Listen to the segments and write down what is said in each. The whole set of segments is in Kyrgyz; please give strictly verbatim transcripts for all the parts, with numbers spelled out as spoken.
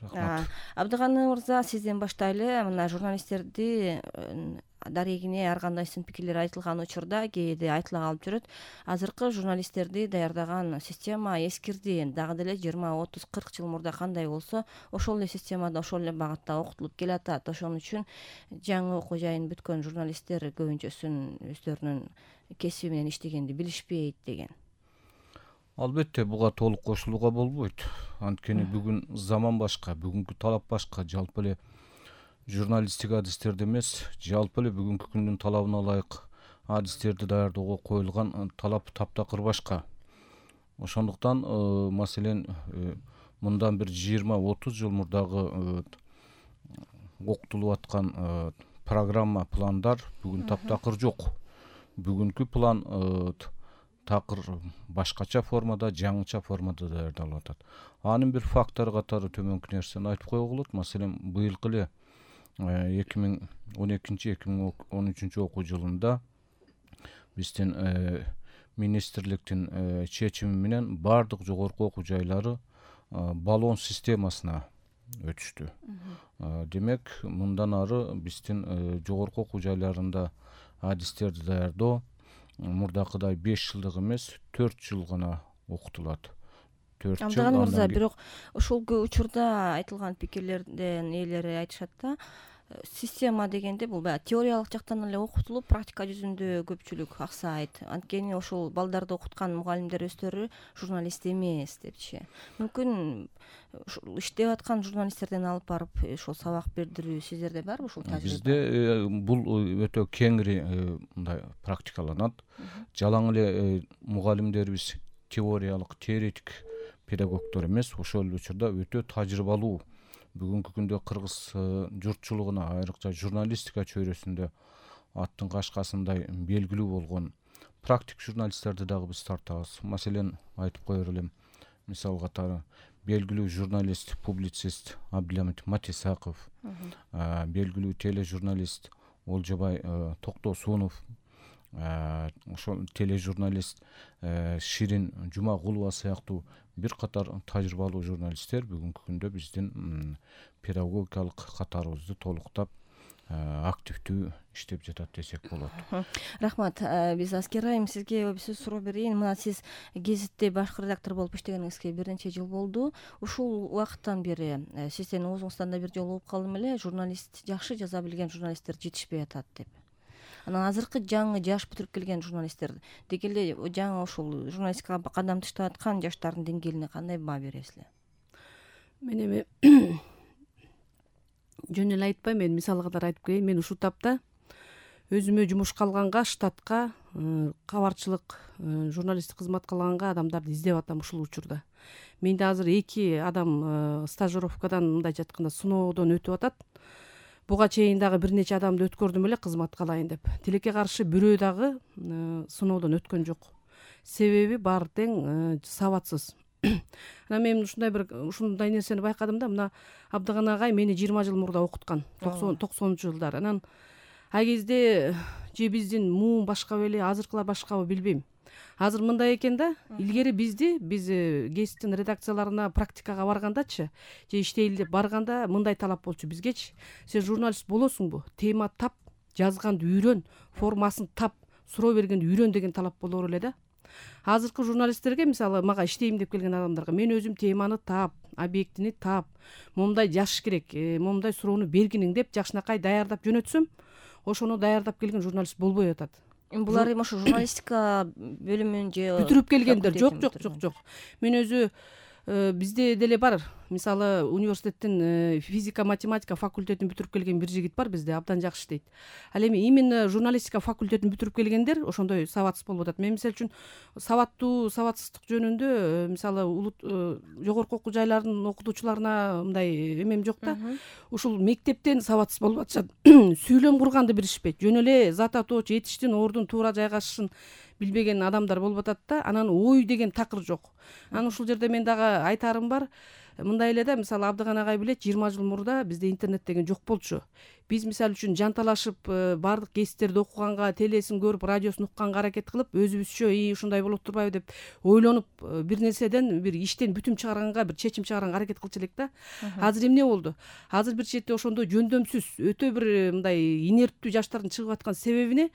Рахмат. Абдыганы мырза, сизден баштайлы. Мына журналисттерди дарегине ар кандай сын пикирлер айтылган учурда кээде айтыла калып жүрөт. Азыркы журналисттерди даярдаган система эскирди. Дагы деле жыйырма отуз кырк жыл мурда кандай болсо, ошол эле системада, ошол эле багытта окутулуп келатат. Ошон үчүн жаңы окуу жайын бүткөн журналисттер көбүнчөсүн өздөрүнүн кесиби менен иштегенди билишпейт деген. Албетте буга толук кошулууга болбойт. Анткени бүгүн заман башка, бүгүнкү талап башка. Жалпы эле журналистик адистерди эмес, жалпы эле бүгүнкү күндүн талабына ылайык адистерди даярдоого коюлган талап таптакыр башка. Ошондуктан маселен мындан бир жыйырма отуз жыл мурдагы окутулуп аткан программа, пландар бүгүн таптакыр жок. Бүгүнкү план такыр башкача формада, жаңыча формада даярдалып атат. Анын бир фактору катары төмөнкү нерсени айтып койгула болот. Маселен, быйылкы эле эки миң он экинчи эки миң он үчүнчү окуу жылында биздин министрликтин чечими менен бардык жогорку окуу жайлары баллон системасына өтүштү. Демек, мындан ары биздин жогорку окуу жайларында адистерди даярдоо мурдакыдай беш жылдык эмес, төрт жыл гана окутулат. төрт жыл. Абдыганы мырза, бирок ошол учурда айтылган пикирлерден ээлери айтышат да, система дегенде бул баягы теориялык жактан эле окутулуп, практика жүзүндө көпчүлүк аксайт. Анткени ошол балдарды окуткан мугалимдер өздөрү журналист эмес депчи. Мүмкүн иштеп аткан журналисттерден алып барып ошол сабак бердирүү сиздерде барбы ушул тажрыйба? Бизде бул өтө кеңири мындай практикаланат. Жалаң эле мугалимдерибиз теориялык, теоретик педагогдор эмес, ошол учурда өтө тажрыйбалуу. Бүгүнкү күндө кыргыз журтчулугуна, айрыкча журналистика чөйрөсүндө аттын кашкасындай белгилүү болгон практик журналисттерди дагы биз тартабыз. Маселен, айтып коер элем, мисал катары белгилүү журналист, публицист Абдыламит Матисаков, белгилүү тележурналист Олжобай Токтосунов, ошол тележурналист Ширин Жумагулова сыяктуу бир катар тажрыйбалуу журналисттер бүгүнкү күндө биздин педагогикалык катарыбызды толуктап активдүү иштеп жатат десек болот. Рахмат. Биз Аскер айым, сизге bir сөз суроо берейин. Мына сиз гезитте башкы редактор болуп иштегениңизге бир нече жыл болду. Ушул убакыттан бери сиздин оозуңуздан да бир жолу угуп калдым эле, журналист, жакшы жаза билген журналисттер жетишпей атат деп. Анан азыркы жаңы жаш бүтүрүп келген журналисттер деги эле жаңы ушул журналистикага кадам таштап аткан жаштардын деңгээлине кандай баа бересиздер? Мен эми жөн эле айтпайм, мен мисал катары айтып коеюн. Мен ушул тапта өзүмө жумушка алганга, штатка, кабарчылык, журналисттик кызмат кылганга адамдарды издеп атам ушул учурда. Менде азыр эки адам стажировкадан, мындайча айтканда, сыноодон өтүп атат. Буга чейин дагы бир нече адамды өткөрдүм эле кызматка алайын деп. Тилекке каршы бирөө дагы сыноодон өткөн жок. Себеби баары тең сабатсыз. Анан мен ушундай бир ушундай нерсени байкадым да, мына Абдыган агай мени жыйырма жыл мурда окуткан, токсонунчу жылдары. Анан ай кезде же биздин муун башка беле, азыркылар башкабы билбейм. Азыр мындай экен да, илгери бизди, биз гезиттин редакцияларына практикага баргандачы, же иштейли деп барганда мындай талап болчу бизгечи: сен журналист болосуңбу, тема тап, жазганды үйрөн, формасын тап, суроо бергенди үйрөн деген талап болор эле да. Азыркы журналисттерге, мисалы, мага иштейм деп келген адамдарга мен өзүм теманы тап, объектини тап, момундай жазыш керек, момундай суроону бергиниң деп жакшынакай даярдап жөнөтсөм, ошону даярдап келген журналист болбой атат. Булар эми ошо журналистика бөлүмүн же бүтүрүп келгендер. Жок, жок, жок, жок. Мен өзү бизде деле бар. Мисалы, университеттин физика, математика факультетин бүтүрүп келген бир жигит бар бизде, абдан жакшы иштейт. Ал эми именно журналистика факультетин бүтүрүп келгендер ошондой сабатсыз болуп атат. Мен мисалы үчүн сабаттуу, сабатсыздык жөнүндө, мисалы, жогорку окуу жайларынын окутуучуларына мындай эмем жок да. Ушул мектептен сабатсыз болуп атышат. Сүйлөм курганды билишпейт. Жөн эле зат атоочу этиштин ордун туура жайгашышын билбеген адамдар болуп атат да. Анан ой деген такыр жок. Анан ушул жерде мен дагы айтарым бар. мындай эле да, мисалы Абдыган агай билет, жыйырма жыл мурда бизде интернет деген жок болчу. Биз мисалы үчүн жанталашып баардык гезиттерди окуганга, телесин көрүп, радиосун укканга аракет кылып, өзүбүзчө и ушундай болот турбайбы деп ойлонуп, бир нерседен, бир иштен бүтүм чыгарганга, бир чечим чыгарганга аракет кылчу элек да. Азыр эмне болду? Азыр бир четте ошондой жөндөмсүз, өтө бир мындай инерттүү жаштардын чыгып аткан себебине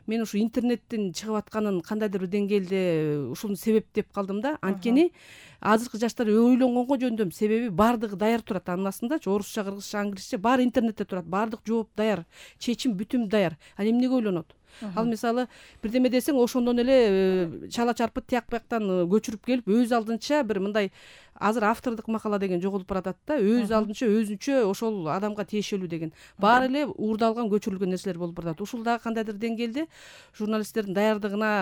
мен ушу интернеттин чыгып атканын кандайдыр бир деңгээлде ушуну себеп деп калдым да. Анткени азыркы жаштар ойлонгонго жөндөм, себеби баардыгы даяр турат. Анын астындачы орусча, кыргызча, англисче баары интернетте турат. Баардык жооп даяр, чечим бүтүм даяр. Ал эмнеге ойлонот? Ал мисалы бирдеме десең, ошондон эле чала чарпыт тияк бияктан көчүрүп келип, өз алдынча бир мындай азыр автордук макала деген жоголуп баратат да. Өз алдынча өзүнчө ошол адамга тиешелүү деген. Баары эле уурдалган, көчүрүлгөн нерселер болуп баратат. Ушул дагы кандайдыр деңгээлде журналисттердин даярдыгына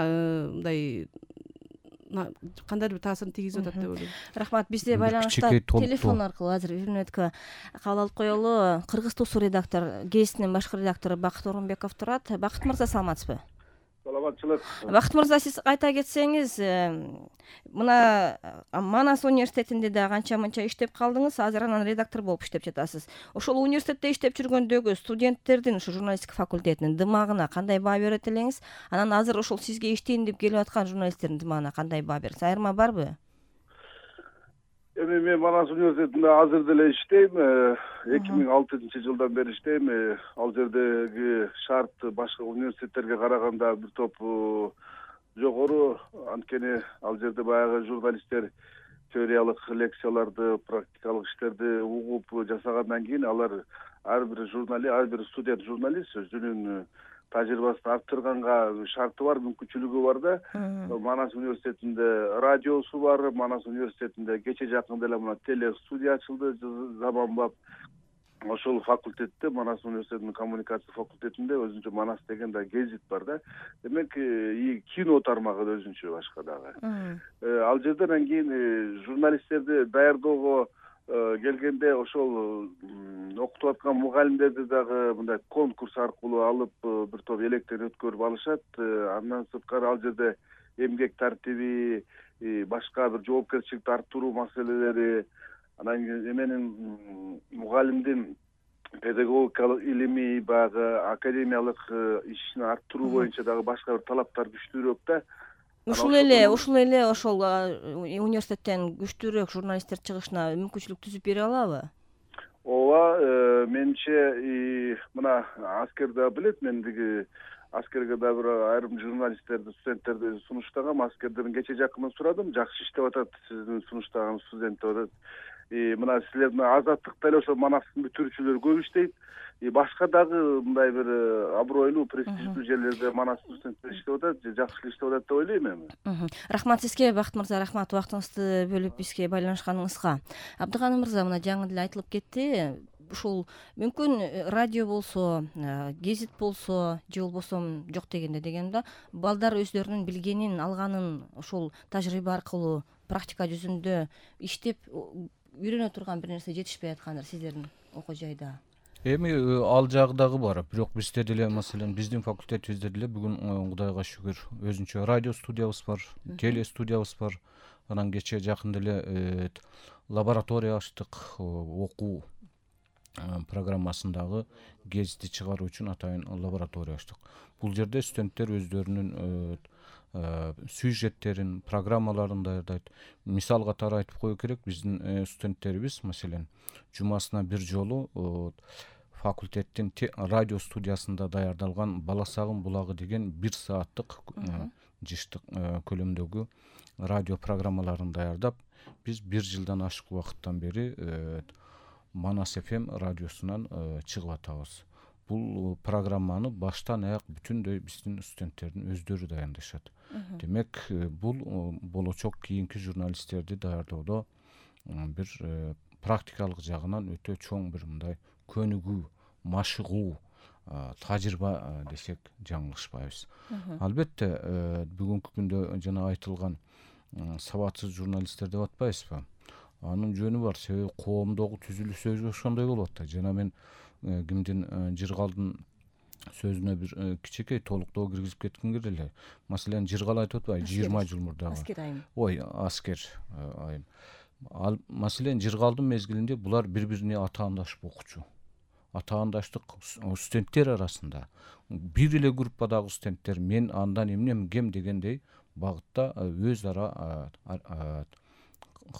мындай кандайдыр бир таасирин тийгизип атат деп ойлойм. Рахмат. Бизде байланышта телефон аркылуу азыр бир мүнөткө кабыл алып коелу. Кыргыз Тусу редактор, гезитинин башкы редактору Бакыт Орунбеков турат. Бакыт мырза, саламатсызбы? Саламатчылык. Бакыт мырза, сиз айта кетсеңиз, мына Манас университетинде да канча мынча иштеп калдыңыз, азыр анан редактор болуп иштеп жатасыз. Ошол университетте иштеп жүргөндөгү студенттердин, ушу журналистика факультетинин дымагына кандай баа берет элеңиз? Анан азыр ошол сизге иштейин деп келип аткан журналисттердин дымагына кандай баа бересиз? Айырма барбы? Эми мен Манас университетинде азыр деле иштейм. эки миң алтынчы жылдан бери иштейм. Ал жердеги шарт башка университеттерге караганда бир топ жогору. Анткени ал жерде баягы журналисттер теориялык лекцияларды, практикалык иштерди угуп жасагандан кийин алар ар бир журналист, ар бир студент журналист өзүнүн тажрыйбасын арттырганга шарты бар, мүмкүнчүлүгү бар да. Манас университетинде радиосу бар, Манас университетинде кече жакында эле мына телестудия ачылды заманбап. Ошол факультетте, Манас университетинин коммуникация факультетинде өзүнчө Манас деген да гезит бар да. Демек, и кино тармагы да өзүнчө башка дагы. Ал жерден кийин журналисттерди даярдоого келгенде ошол окутуп аткан мугалимдерди дагы мындай конкурс аркылуу алып бир топ электен өткөрүп алышат. Андан сырткары ал жерде эмгек тартиби, башка бир жоопкерчиликти арттыруу маселелери, анан менин мугалимдин педагогикалык илимий, баягы академиялык ишин арттыруу боюнча дагы башка бир талаптар күчтүүрөөк да. Ушул эле, ушул эле ошол университеттен күчтүүрөөк журналисттер чыгышына мүмкүнчүлүк түзүп бере алабы? Ооба, менимче мына аскер да билет, мен диги аскерге да бир айрым журналисттерди, студенттерди сунуштагам. Аскерден кече жакында сурадым, жакшы иштеп атат сиздин сунуштаган студент деп атат. Мына силердин Азаттыкта эле ошо Манастын бүтүрүүчүлөрү көп иштейт. И башка дагы мындай бир абройлуу, престиждүү жерлерде Манас студенттер иштеп атат, жакшы иштеп атат деп ойлойм эми. Рахмат сизге, Бакыт мырза, рахмат убактыңызды бөлүп бизге байланышканыңызга. Абдыган мырза, мына жаңы деле айтылып кетти. Ушул мүмкүн радио болсо, гезит болсо, же болбосо жок дегенде дегеним да, балдар өздөрүнүн билгенин, алганын ошол тажрыйба аркылуу практика жүзүндө иштеп үйрөнө турган бир нерсе жетишпей аткандыр сиздердин окуу жайда. Эми ал жагы дагы бар. Бирок бизде деле, маселен, биздин факультетибизде деле бүгүн Кудайга шүгүр өзүнчө радио студиябыз бар, теле студиябыз бар. Анан кече жакында эле лаборатория ачтык, окуу программасындагы гезитти чыгаруу үчүн атайын лаборатория ачтык. Бул жерде студенттер өздөрүнүн сюжеттерин, программаларын даярдайт. Мисал катары айтып кою керек, биздин студенттерибиз, маселен, жумасына бир жолу факультеттин радио студиясында даярдалган Баласагын булагы деген бир сааттык жыштык көлөмдөгү радио программаларын даярдап, биз бир жылдан ашык убакыттан бери Манас эф эм радиосунан чыгып атабыз. Бул программаны баштан аяк бүтүндөй биздин студенттердин өздөрү даярдашат. Демек, бул болочок кийинки журналисттерди даярдоодо бир практикалык жагынан өтө чоң бир мындай көнүгүү, машыгуу, тажрыйба десек жаңылышпайбыз. Албетте, бүгүнкү күндө жана айтылган сабатсыз журналисттер деп атпайбызбы? Анын жөнү бар, себеби коомдогу түзүлүш өзү ошондой болуп атат. Жана мен кимдин Жыргалдын сөзүнө бир кичинекей толуктоо киргизип кетким келет эле. Маселен, Жыргал айтып атпайбы, жыйырма жыл мурдагы. Аскер айым. Ой, аскер айым. Ал маселен жыргалдын мезгилинде булар бири бирине атаандашып окучу. Атаандаштык студенттер арасында бир эле группадагы студенттер мен андан эмнем кем дегендей багытта өз ара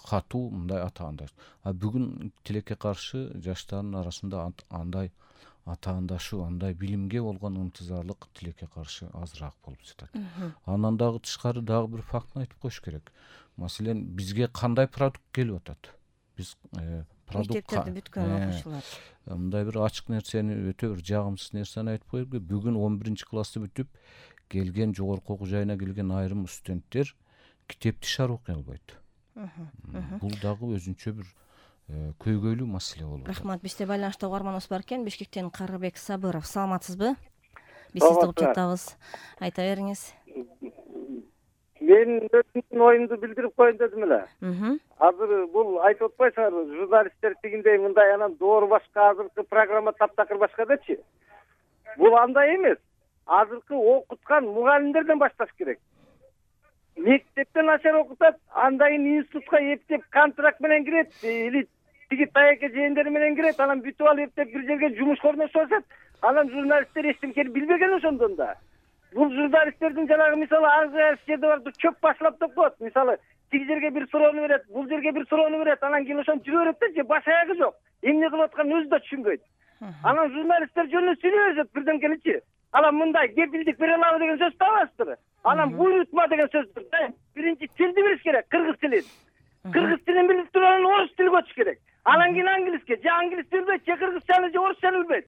катуу мындай атаандаш. А бүгүн тилекке каршы жаштардын арасында андай атаандашуу, андай билимге болгон ынтызарлык тилекке каршы азыраак болуп жатат. Андан дагы тышкары дагы бир фактты айтып коюш керек. Маселен бизге кандай продукт келип атат? Биз мектептерде бүткөн окуучулар мындай бир ачык нерсени, өтө бир жагымсыз нерсени айтып коелу. Бүгүн он биринчи классты бүтүп келген, жогорку окуу жайына келген айрым студенттер китепти шар окуй албайт. Бул дагы өзүнчө бир көйгөйлүү маселе болуп атат. Рахмат. Бизде байланышта угарманыбыз бар экен. Бишкектен Карыбек Сабыров. Саламатсызбы? Биз сизди угуп жатабыз. Айта бериңиз. Мен өзүмдүн оюмду билдирип коеюн дедим эле. Азыр бул айтып атпайсыңарбы, журналисттер тигиндей мындай анан доору башка, азыркы программа таптакыр башка депчи. Бул андай эмес. Азыркы окуткан мугалимдерден башташ керек. Мектептен начар окутат, андан кийин институтка эптеп контракт менен кирет, или тиги таяке жээндери менен кирет, анан бүтүп алып эптеп бир жерге жумушка орношуп. Анан журналисттер эчтемкени билбеген ошондон да. Бул журналисттердин жанагы мисалы ар жерде бар чөп башлап деп коет. Мисалы тиги жерге бир суроону берет, бул жерге бир суроону берет, анан кийин ошону жүрө берет да, же баш аягы жок. Эмне кылып атканын өзү да түшүнбөйт. Анан журналисттер жөнүндө сүйлөп берет бирдемкеничи. Анан мындай кепилдик бере алабы деген сөз табасызбы? Анан буйрутма деген сөздүр. Биринчи тилди билиш керек, кыргыз тилин. Кыргыз тилин билип туруп анан орус тили көчүш керек. Анан кийин англиске, же англис билбейт, же кыргызчаны, же орусчаны билбейт.